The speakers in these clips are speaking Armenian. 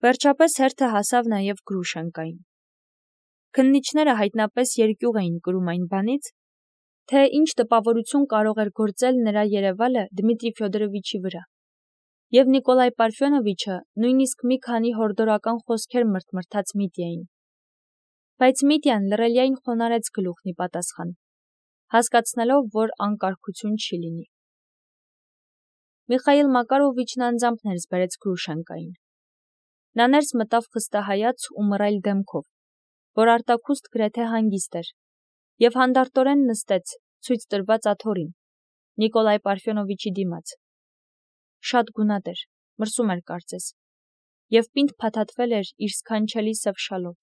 Վերջապես հերթը հասավ նաև Գրուշենկային։ Քննիչները հայտնապես երկյուղ էին կրում այն բանից, թե ինչ տպավորություն կարող էր գործել նրա երևալը Դմիտրի Ֆյոդորովիչի վրա, և Նիկոլայ Պարֆյոնովիչը նույնիսկ մի քանի հորդորական խոսքեր մրթմրթաց Միտյային։ Բայց Միտյան լռելիայն խոնարհեց գլուխն ի պատասխան, հասկացնելով, որ անկարգություն չի լինի։ Միխայիլ Մակարովիչն անձամբ ներս բերեց Գրուշենկային։ Նա ներս մտավ խստահայաց ու մռայլ դեմքով, որ արտաքուստ գրեթե հանգիստ էր, և հանդարտորեն նստեց ցույց տրված աթոռին, Նիկոլայ Պարֆյոնովիչի դիմաց։ Շատ գունատ էր, մրսում էր կարծես, և պինդ փաթաթվել էր իր սքանչելի սև շալով։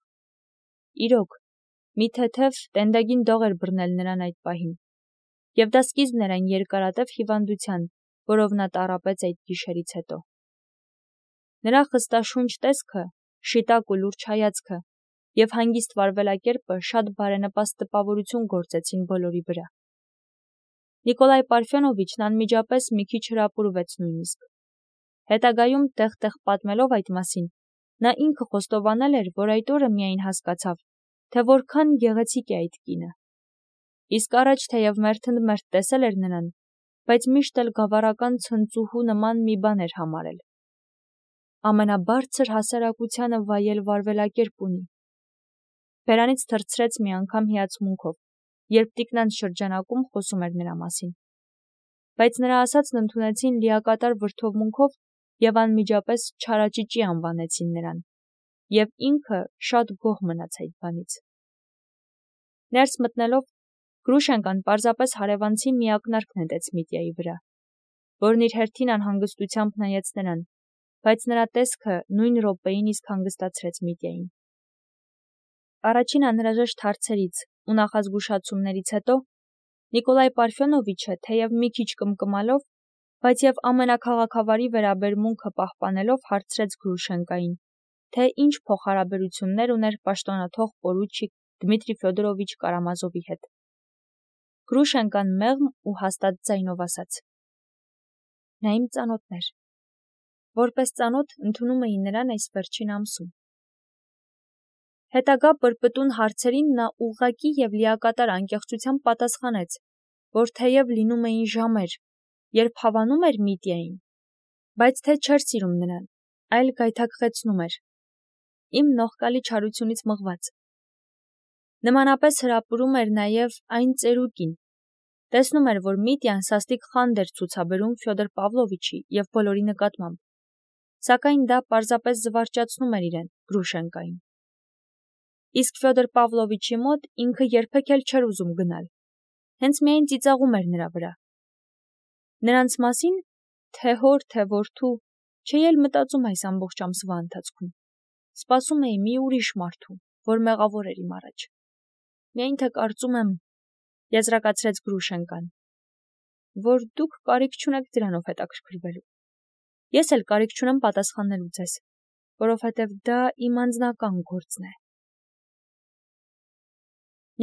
Իրոք, մի թեթև տենդագին դող էր բռնել նրան այդ պահին, և դա սկիզբն էր այն երկարատև հիվանդության, որով նա տառապեց այդ գիշերից հետո։ Նրա խստաշունչ տեսքը, շիտակ ու լուրջ հայացքը և հանգիստ վարվելակերպը շատ բարենպաստ տպավորություն գործեցին բոլորի վրա։ Նիկոլայ Պարֆյոնովիչն անմիջապես մի քիչ հրապուրվեց նույնիսկ։ Հետագայում տեղ-տեղ պատմելով այդ մասին, նա ինքը խոստովանել էր, որ այդ օրը միայն հասկացավ, թե որքան գեղեցիկ է այդ կինը։ Իսկ առաջ թեև մերթընդմերթ տեսել էր նրան, բայց միշտ էլ գավառական ցնծուհու նման մի բան էր համարել։ Ամենաբարձր հասարակությանը վայել վարվելակերպ ունի։ Բերանից թռցրեց մի անգամ հիացմունքով, երբ տիկնանց շրջանակում խոսում էր նրա մասին։ Բայց նրա ասածն ընդունեցին լիակատար վրդովմունքով և անմիջապես չարաճճի անվանեցին նրան, և ինքը շատ գոհ մնաց այդ բանից։ Ներս մտնելով, Գրուշենկան պարզապես հարևանցի մի ակնարկ նետեց Միտյայի վրա, որն իր հերթին անհանգստությամբ նայեց նրան, բայց նրա տեսքը նույն րոպեին իսկ հանգստացրեց Միտյային։ Առաջին անհրաժեշտ հարցերից ու նախազգուշացումներից հետո Նիկոլայ Պարֆյոնովիչը, թեև մի քիչ կմկմալով, բայց և ամենաքաղաքավարի վերաբերմունքը պահպանելով հարցրեց Գրուշենկային, թե ինչ փոխհարաբերություններ ուներ պաշտոնաթող պորուչիկ Դմիտրի Ֆյոդորովիչ Կարամազովի հետ։ Գրուշենկան մեղմ ու հաստատ ձայնով ասաց. Նա իմ ծանոթն էր։ Որպես ծանոթ ընդունում էի նրան այս վերջին ամսում։ Հետագա պրպտուն հարցերին նա ուղղակի և լիակատար անկեղծությամբ պատասխանեց, որ թեև լինում էին ժամեր, երբ հավանում էր Միտյային, բայց թե չէր սիրում նրան, այլ գայթակղեցնում էր, իմ նողկալի չարությունից մղված։ Նմանապես հրապուրում էր նաև այն ծերուկին, տեսնում էր, որ Միտյան սաստիկ խանդ էր ցուցաբերում Ֆյոդոր Պավլովիչի և բոլորի նկատմամբ, սակայն դա պարզապես զվարճացնում էր իրեն, Գրուշենկային։ Իսկ Ֆյոդոր Պավլովիչի մոտ ինքը երբեք էլ չէր ուզում գնալ, հենց միայն ծիծաղում էր նրա վրա։ Նրանց մասին, թե հոր, թե որդու, չէի էլ մտածում այս ամբողջ ամսվա ընթացքում, սպասում էի մի ուրիշ մարդու, որ մեղավոր էր իմ առաջ։ Միայն թե կարծում եմ, եզրակացրեց Գրուշենկան, որ դուք կարիք չունեք դրանով հետաքրքրվելու։ Ես էլ կարիք չունեմ պատասխանելու ձեզ, որովհետև դա իմ անձնական գործն է։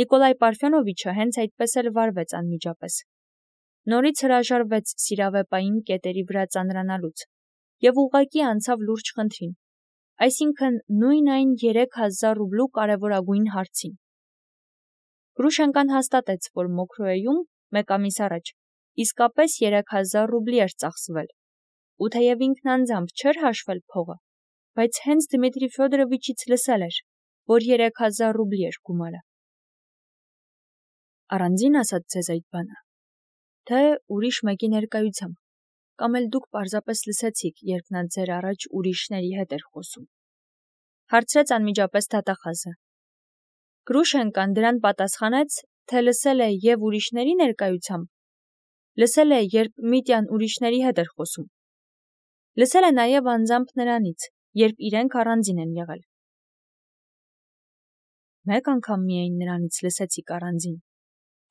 Նիկոլայ Պարֆյոնովիչը հենց այդպես էլ վարվեց անմիջապես։ Նորից հրաժարվեց սիրավեպային կետերի վրա ծանրանալուց և ուղղակի անցավ լուրջ խնդրին, այսինքն նույն այն 3000 ռուբլու կարևորագույն հարցին։ Գրուշենկան հաստատեց, որ Մոքրոեում մեկ ամիս առաջ իսկապես 3000 ռուբլի էր ծախսվել, ու թեև ինքն անձամբ չէր հաշվել փողը, բայց հենց Դմիտրի Ֆյոդորովիչից լսել էր, որ 3000 ռուբլի էր գումարը։ Առանձին ասած ձեզ այդ բանը, թե ուրիշ մեկի ներկայությամբ, կամ էլ դուք պարզապես լսեցիք, երբ նա ձեր առաջ ուրիշների հետ էր խոսում։ Հարցրեց անմիջապես դատախազը։ Գրուշենկան դրան պատասխանեց, թե լսել է և ուրիշների ներկայությամբ, լսել է, երբ Միտյան ուրիշների հետ էր խոսում։ Լսել է նաև անձամբ նրանից, երբ իրենք առանձին են եղել։ Մեկ անգամ միայն նրանից լսեցիք առանձին,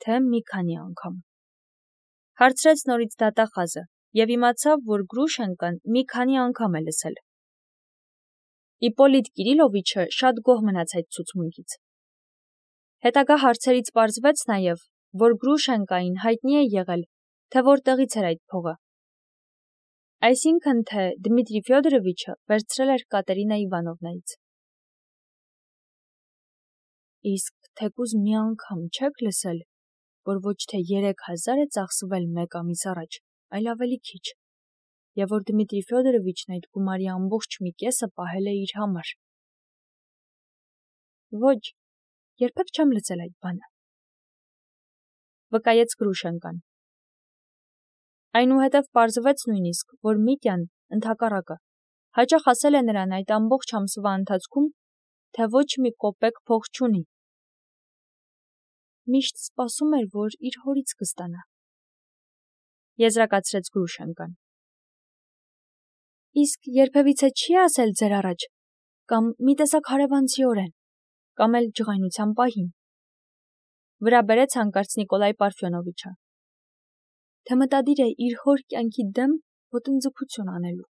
թե մի քանի անգամ։ Հարցրեց նորից դատախազը և իմացավ, որ Գրուշենկան մի քանի անգամ է լսել։ Իպոլիտ Կիրիլովիչը շատ գոհ մնաց այդ ցուցմունքից։ Հետագա հարցերից պարզվեց նաև, որ Գրուշենկային հայտնի է եղել, թե որտեղից էր այդ փողը։ Այսինքն թե Դմիտրի Ֆյոդորովիչը վերցրել էր Կատերինա Իվանովնայից։ Իսկ թեկուզ մի անգամ չեք լսել, որ ոչ թե 3000 է ծախսվել մեկ ամիս առաջ, այլ ավելի քիչ, եւ որ Դմիտրի Ֆյոդորովիչն այդ գումարի ամբողջ մի կեսը պահել է իր համար։ Ոչ, երբեք չեմ լսել այդ բանը, վկայեց Գրուշենկան։ Այնուհետև պարզվեց նույնիսկ, որ Միտյան ընդհակառակը հաճախ ասել է նրան այդ ամբողջ ամսվա ընթացքում, թե ոչ մի կոպեկ փող չունի։ Միշտ սպասում էր, որ իր հորից կստանա։ Եզրակացրեց Գրուշենկան։ Իսկ երբևիցե չի ասել ձեր առաջ, կամ մի տեսակ հարևանցիորեն, կամ էլ ջղայնության պահին։ Վրա բերեց հանկարծ Նիկոլայ Պարֆյոնովիչը, թե մտադիր է իր հոր կյանքի դեմ ոտնձգություն անելու։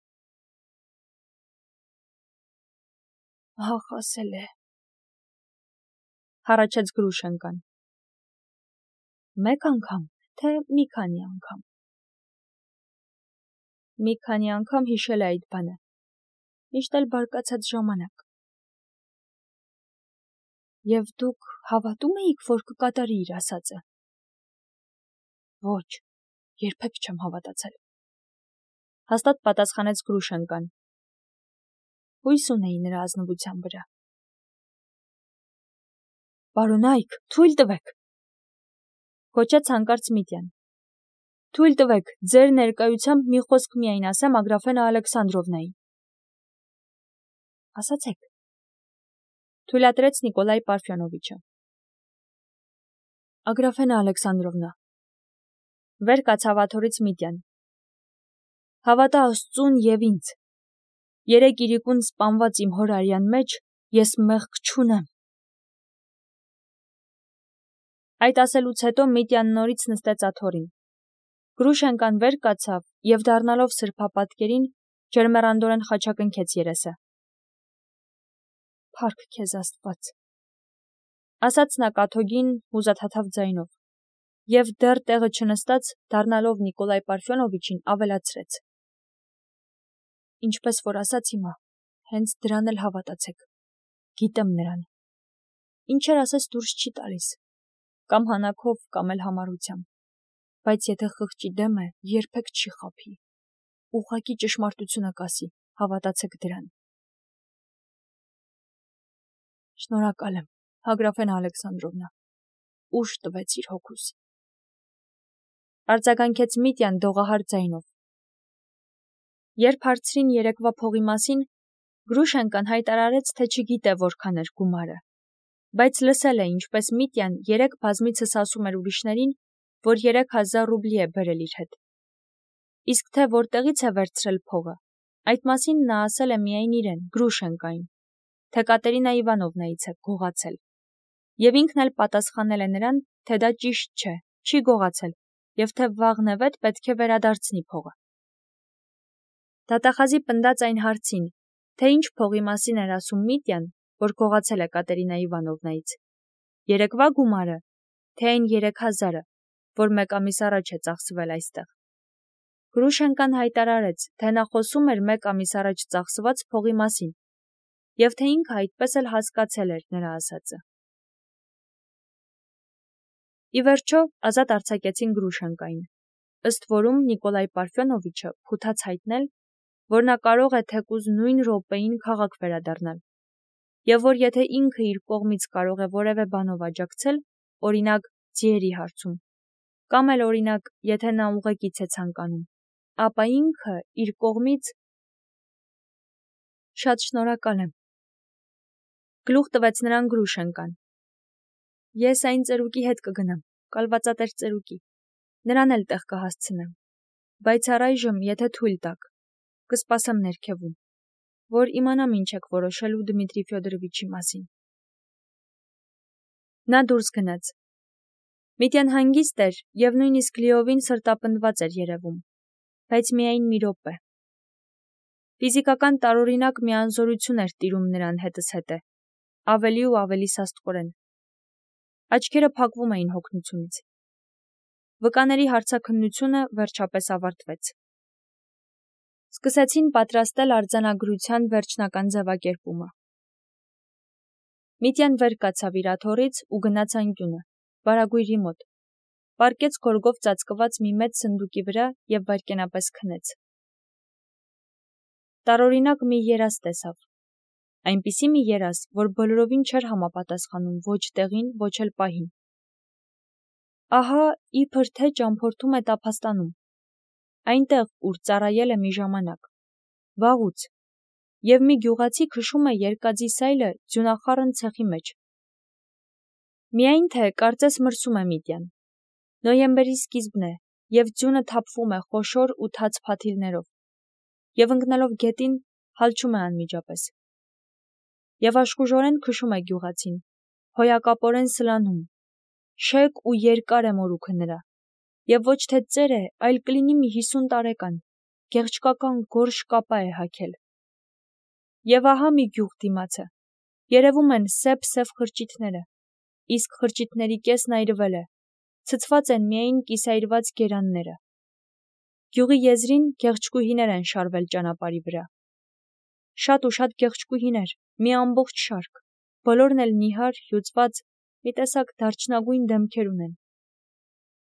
Ահ, ասել է, հառաչեց Գրուշենկան։ Մեկ անգամ, թե մի քանի անգամ։ Մի քանի անգամ հիշել է այդ բանը, միշտ էլ բարկացած ժամանակ։ Եվ դուք հավատում էիք, որ կկատարի իր ասածը։ Ոչ, երբեք չեմ հավատացել, հաստատ պատասխանեց Գրուշենկան։ Հույս ունեի նրա ազնվության վրա։ Պարոնայք, թույլ տվեք, գոչեց հանկարծ Միտյան։ Թույլ տվեք, ձեր ներկայությամբ մի խոսք միայն ասեմ Ագրաֆենա Ալեքսանդրովնային։ Ասացեք, թույլատրեց Նիկոլայ Պարֆյոնովիչը։ Ագրաֆենա Ալեքսանդրովնա, վեր կացավ աթոռից Միտյան։ Հավատա Աստծուն եւ ինձ։ Երեք իրիկուն սպանված իմ հոր արյան մեջ ես մեղք չունեմ։ Այդ ասելուց հետո Միտյան նորից նստեց աթոռին։ Գրուշենկան վեր կացավ եւ դառնալով սրբապատկերին ջերմեռանդորեն խաչակնքեց երեսը։ Փառք քեզ Աստված, ասաց նա կաթոգին հուզաթաթավ ձայնով, եւ դեռ տեղը չնստած, դառնալով Նիկոլայ Պարֆյոնովիչին ավելացրեց. Ինչպես որ ասաց հիմա, հենց դրան էլ հավատացեք, գիտեմ նրան, ինչեր ասես դուրս չի տալիս, կամ հանակով, կամ էլ համառությամբ, բայց եթե խղճի դեմ է, երբեք չի խաբի, ուղղակի ճշմարտությունը կասի, հավատացեք դրան։ Շնորհակալ եմ, Ագրաֆենա Ալեքսանդրովնա, ուժ տվեց իր հոգուս։ Արձագանքեց Միտյան դողահար ձայնով։ Երբ հարցրին երեկվա փողի մասին, Գրուշենկան հայտարարեց, թե չգիտե որքան էր գումարը, բայց լսել է, ինչպես Միտյան երեք բազմիցս ասում էր ուրիշներին, որ 3000 ռուբլի է բերել իր հետ։ Իսկ թե որտեղից է վերցրել փողը, այդ մասին նա ասել է միայն իրեն, Գրուշենկային, թե Կատերինա Իվանովնայից է գողացել, եւ ինքն էլ պատասխանել է նրան, թե դա ճիշտ չէ, չի գողացել, եւ թե վաղնևեթ պետք է վերադարձնի փողը։ Դատախազի պնդած այն հարցին, թե ինչ փողի մասին էր ասում Միտյան, որ գողացել է Կատերինա Իվանովնայից, երեկվա գումարը, թե այն 3000-ը, որ մեկ ամիս առաջ է ծախսվել այստեղ։ Գրուշենկան հայտարարեց, թե նա խոսում էր մեկ ամիս առաջ ծախսված փողի մասին, եւ թե ինքը այդպես էլ հասկացել էր նրա ասածը։ Ի վերջո ազատ արձակեցին Գրուշենկային, ըստ որում Նիկոլայ Պարֆյոնովիչը փութաց հայտնել, որ նա կարող է թեկուզ նույն րոպեին քաղաք վերադառնալ, եւ որ եթե ինքը իր կողմից կարող է որևէ բանով աջակցել, օրինակ ձիերի հարցում, կամ էլ օրինակ, եթե նա ուղեկից է ցանկանում, ապա ինքը իր կողմից շատ շնորհակալ եմ։ Գլուխ տվեց նրան Գրուշենկան։ Ես այն ծերուկի հետ կգնամ, կալվածատեր ծերուկի, նրան էլ տեղ կհասցնեմ, բայց առայժմ, եթե թույլ տաք, կսպասեմ ներքևում, որ իմանամ ինչ եք որոշելու Դմիտրի Ֆյոդորովիչի մասին։ Նա դուրս գնաց։ Միտյան հանգիստ էր եւ նույնիսկ լիովին սրտապնդված էր երևում, բայց միայն մի րոպե։ Ֆիզիկական տարօրինակ մի անզորություն էր տիրում նրան հետզհետե, ավելի ու ավելի սաստկորեն։ Աչքերը փակվում էին հոգնությունից։ Վկաների հարցաքննությունը վերջապես ավարտվեց։ Սկսեցին պատրաստել արձանագրության վերջնական ձևակերպումը։ Միտյան վեր կացավ իր աթոռից ու գնաց անկյունը, վարագույրի մոտ, պառկեց գորգով ծածկված մի մեծ սնդուկի վրա և վայրկենապես քնեց։ Տարօրինակ մի երազ տեսավ, այնպիսի մի երազ, որ բոլորովին չէր համապատասխանում ոչ տեղին, ոչ էլ պահին։ Ահա իբր թե ճամփորդում է տափաստանում, այնտեղ, ուր ծառայել է մի ժամանակ, վաղուց, և մի գյուղացի քշում է երկաձի սայլը ձյունախառն ցեխի մեջ։ Միայն թե կարծես մրսում է Միտյան։ Նոյեմբերի սկիզբն է, և ձյունը թափվում է խոշոր ու թաց փաթիլներով, և ընկնելով գետին, հալչում է անմիջապես։ Եվ աշխուժորեն քշում է գյուղացին, հոյակապորեն սլանում, շեկ ու երկար է մորուքը նրա, և ոչ թե ծեր է, այլ կլինի մի 50 տարեկան, գեղչկական գորշ կապա է հագել։ Եվ ահա մի գյուղ դիմացը, երևում են սև խրճիթները, իսկ խրճիթների կեսն այրվել է, ցցված են միայն կիսայրված գերանները։ Գյուղի եզրին գեղչկուհիներ են շարվել ճանապարհի վրա։ Շատ ու շատ գեղչկուհիներ, մի ամբողջ շարք, բոլորն էլ նիհար, հյուծված, մի տեսակ դարչնագույն դեմքեր ունեն։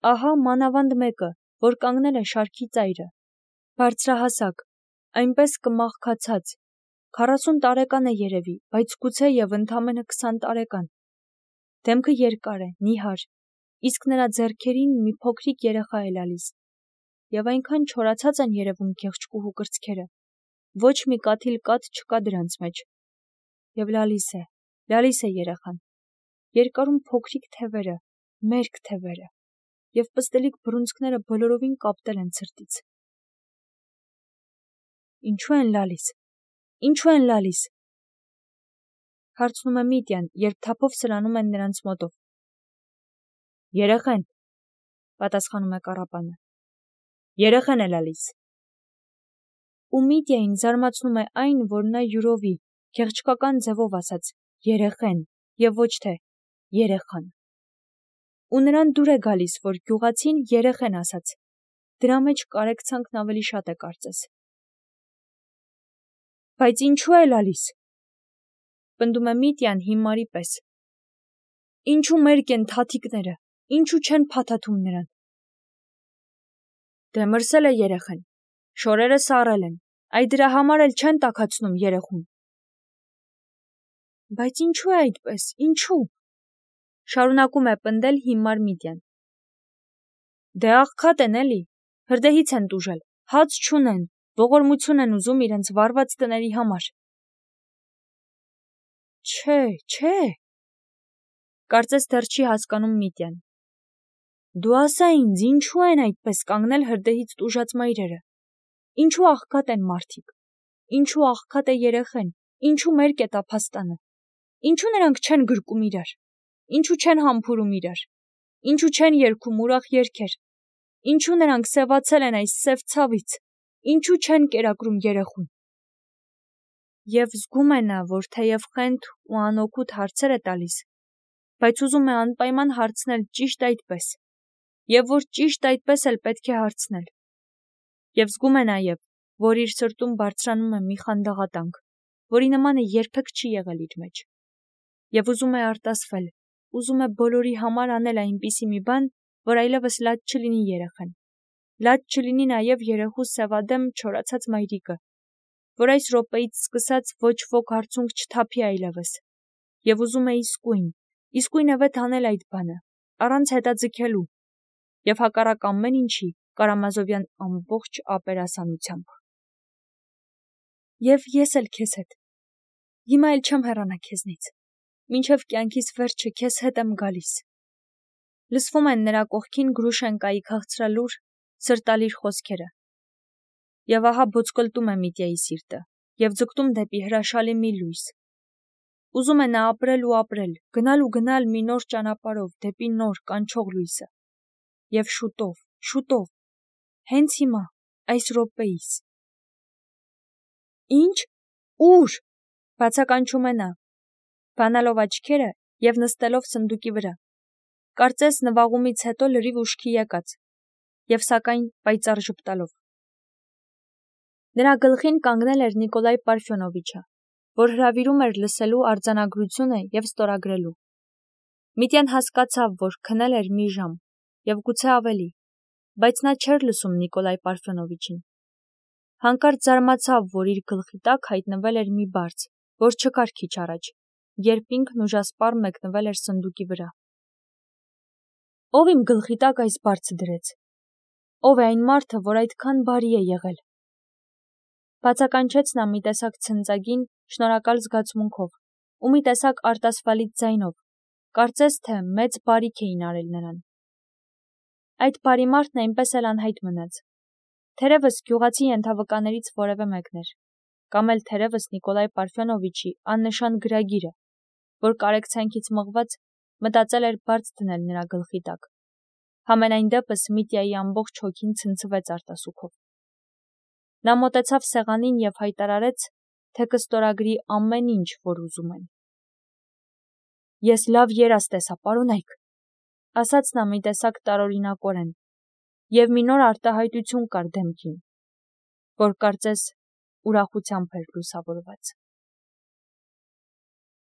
Ահա մանավանդ մեկը, որ կանգնել է շարքի ծայրը, բարձրահասակ, այնպես կմախքացած, 40 տարեկան է երևի, բայց գուցե և ընդամենը 20 տարեկան։ Դեմքը երկար է, նիհար, իսկ նրա ձեռքերին մի փոքրիկ երեխա է լալիս, և այնքան չորացած են երևում գեղչկուհու կրծքերը, ոչ մի կաթիլ կաթ չկա դրանց մեջ։ Եվ լալիս է երեխան, երկարում փոքրիկ թևերը, մերկ թևերը, և պստլիկ բռունցքները բոլորովին կապտել են ցրտից։ Ինչու են լալիս, հարցնում է Միտյան, երբ թափով սլանում են նրանց մոտով։ Երեխեն, պատասխանում է կառապանը, երեխեն է լալիս։ Ու Միտյային զարմացնում է այն, որ նա յուրովի, գեղչկական ձևով ասաց երեխեն և ոչ թե երեխան։ Ու նրան դուր է գալիս, որ գյուղացին երեխեն ասաց, դրա մեջ կարեկցանքն ավելի շատ է կարծես։ Բայց ինչու է լալիս, պնդում է Միտյան հիմարի պես։ Ինչու մերկ են թաթիկները, ինչու չեն փաթաթում նրան։ Դե մրսել է երեխեն, շորերը սառել են, այ դրա համար էլ չեն տաքացնում երեխուն։ Բայց ինչու է այդպես, ինչու, շարունակում է պնդել հիմար Միտյան։ Դե աղքատ են էլի, հրդեհից են տուժել, հաց չունեն, ողորմություն են ուզում իրենց վառված տների համար։ Չէ, կարծես դեռ չի հասկանում Միտյան։ Դու ասա ինձ, ինչու են այդպես կանգնել հրդեհից տուժած մայրերը, ինչու աղքատ են մարդիկ, ինչու աղքատ է երեխեն, ինչու մերկ է տափաստանը, ինչու նրանք չեն գրկում իրար, ինչու չեն համբուրում իրար, ինչու չեն երգում ուրախ երգեր, ինչու նրանք սևացել են այս սև ցավից, ինչու չեն կերակրում երեխուն։ Եվ զգում է նա, որ թեև խենթ ու անօգուտ հարցեր է տալիս, բայց ուզում է անպայման հարցնել ճիշտ այդպես, և որ ճիշտ այդպես էլ պետք է հարցնել։ Եվ զգում է նաև, որ իր սրտում բարձրանում է մի խանդաղատանք, որի նմանը երբեք չի եղել իր մեջ։ Եվ ուզում է արտասվել, ուզում է բոլորի համար անել այնպիսի մի բան, որ այլևս լաց չլինի երեխան, լաց չլինի նաև երեխու սևադեմ չորացած մայրիկը, որ այս րոպեից սկսած ոչ ոք հարցունք չթափի այլևս, և ուզում է իսկույնևեթ անել այդ բանը, առանց հետաձգելու, և հակառակ ամեն ինչի Կարամազովյան ամբողջ ապերասանությամբ։ Եվ ես էլ քեզ հետ, հիմա էլ չեմ հեռանա քեզնից, մինչև կյանքիս վերջը քեզ հետ եմ գալիս։ Լսվում են նրա կողքին Գրուշենկայի քաղցրալուր, սրտալիր խոսքերը։ Եվ ահա բոցկլտում է Միտյայի սիրտը, և ձգտում դեպի հրաշալի մի լույս։ Ուզում է նա ապրել ու ապրել, գնալ մի նոր ճանապարհով դեպի նոր կանչող լույսը։ Եվ շուտով, հենց հիմա, այս րոպեիս։ Ինչ, ուր, բացականչում է նա, բանալով աչքերը և նստելով սնդուկի վրա, կարծես նվաղումից հետո լրիվ ուշքի եկած, և սակայն պայծառ ժպտալով։ Նրա գլխին կանգնել էր Նիկոլայ Պարֆյոնովիչը, որ հրավիրում էր լսելու արձանագրությունը և ստորագրելու։ Միտյան հասկացավ, որ քնել էր մի ժամ, և գուցե ավելի, բայց նա չէր լսում Նիկոլայ Պարֆյոնովիչին։ Հանկարծ զարմացավ, որ իր գլխի տակ հայտնվել էր մի բարձ, որ չկար քիչ առաջ, երբ ինքն ուժասպառ մեկնվել էր սնդուկի վրա։ Ո՞վ իմ գլխի տակ այս բարձը դրեց։ Ո՞վ է այն մարդը, որ այդքան բարի է եղել։ Բացականչեց նա մի տեսակ ցնծագին, շնորհակալ զգացմունքով ու մի տեսակ արտասվալից ձայնով, կարծես թե մեծ բարիք էին արել նրան։ Այդ բարի մարդն այնպես էլ անհայտ մնաց։ Թերևս գյուղացի ենթավկաներից որևէ մեկն էր, կամ էլ թերևս Նիկոլայ Պարֆյոնովիչի աննշան գրագիրը, որ կարեկցանքից մղված մտածել էր բարձ դնել նրա գլխի տակ։ Համենայն դեպս Միտյայի ամբողջ հոգին ցնցվեց արտասուքով։ Նա մոտեցավ սեղանին և հայտարարեց, թե կստորագրի ամեն ինչ, որ ուզում են։ Ես լավ երազ տեսա, պարոնայք, ասաց նա մի տեսակ տարօրինակորեն, և մի նոր արտահայտություն կար դեմքին, որ կարծես ուրախությամբ էր լուսավորված։